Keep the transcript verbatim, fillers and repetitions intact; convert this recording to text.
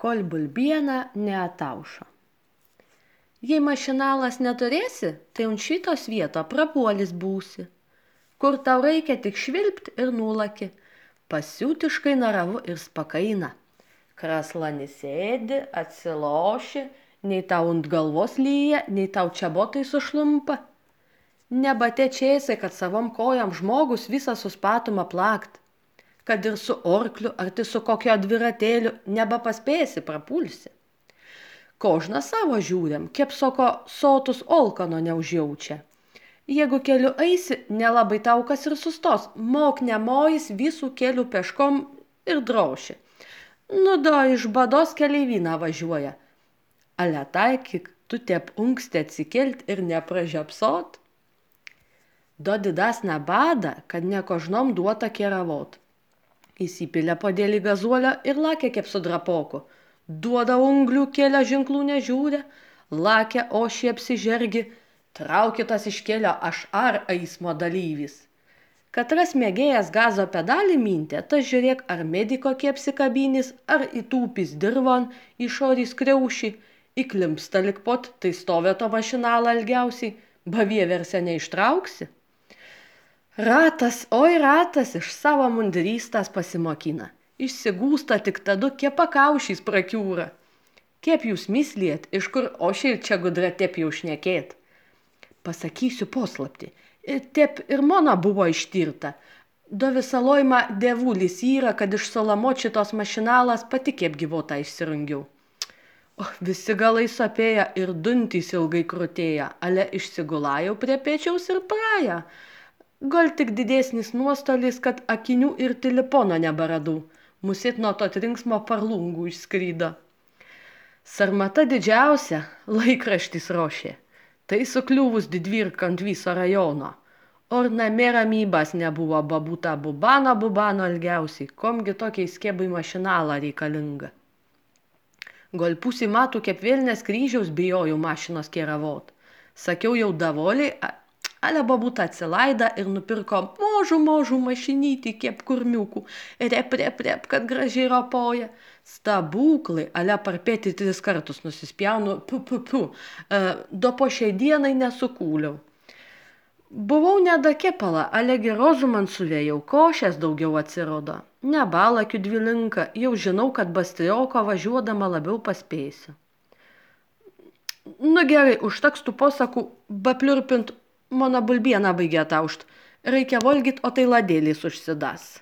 kol bulbiena neataušo. Jei mašinalas neturėsi, tai ant šitos vieto prapuolis būsi. Kur tau reikia tik švilpt ir nulaki, pasiutiškai naravu ir spakaina. Kraslani sėdi, atsiloši, nei tau ant galvos lyja, nei tau čia botai sušlumpa. Nebatečėsi, kad savom kojam žmogus visą suspatumą plakt. Kad ir su orkliu ar tai su kokio dviratėliu nebepaspėsi, prapulsi. Kožną savo žiūrėm, kiep soko sotus olkano neužjaučia. Jeigu keliu eisi, nelabai tau kas ir sustos, mok nemojis visų kelių peškom ir drauši. Nu da, iš bados keleivyną važiuoja. Ale taikyk, tu tep unksti atsikelt ir nepražiapsot. Do didasnę badą, kad nekožnom duota keravot. Įsipilė podėlį gazuolio ir lakė kaip su drapoku. Duoda unglių, kėlė ženklų nežiūrė, lakė ošį apsižergi, traukitas iš kelio aš ar eismo dalyvis. Katras mėgėjas gazo pedalį mintė, tas žiūrėk ar mediko kiepsikabinys, ar įtūpis dirvon, išorys kriaušį, įklimpsta lik pot, tai stovė to mašinalą ilgiausiai, bavieverse neištrauksi. Ratas, oi ratas, iš savo mundrystės pasimokina. Išsigūsta tik tadu, kiep pakaušys prakiūra. Kiep jūs misliet, iš kur ošiai čia gudra tep jau šnekėt. Pasakysiu poslapti. Tep ir mona buvo ištirta. Do visą loimą devulis yra, kad iš Solomot šitos mašinalas pati kiep gyvotą išsirungiau. O, visi galai sapėja ir duntys ilgai krutėja, ale išsigulajau prie pečiaus ir praja. Gal tik didesnis nuostolis, kad akinių ir telefono neberadau. Musit nuo to trinksmo parlungų išskrydo. Sarmata didžiausia, laikraštis rošė. Tai sukliuvus didvirka ant viso rajono. Or namie ramybas nebuvo, babuta bubano bubano ilgiausiai. Komgi tokiai skėbai mašinalą reikalinga. Gal pusį matų kaip vėlnės kryžiaus bijojau mašinos keravot. Sakiau jau davoliai, ale babuta atsilaida ir nupirko možų možų mašinytį kiep kurmiukų. Rep, rep, rep, kad gražiai ropoja. Stebūklai, ale parpėti tris kartus nusispjaunu, pu, pu, pu. E, do po šiai dienai nesukūliau. Buvau nedakepala, ale gerozų man suvėjau, košės daugiau atsirodo. Nebalakiu dvilinka, jau žinau, kad Bastrioko važiuodama labiau paspėsiu. Nu gerai, užteks tų posakų bapliurpint. Mano bulbiena baigė taušt. Reikia valgyt, o tai ladėlis užsidas.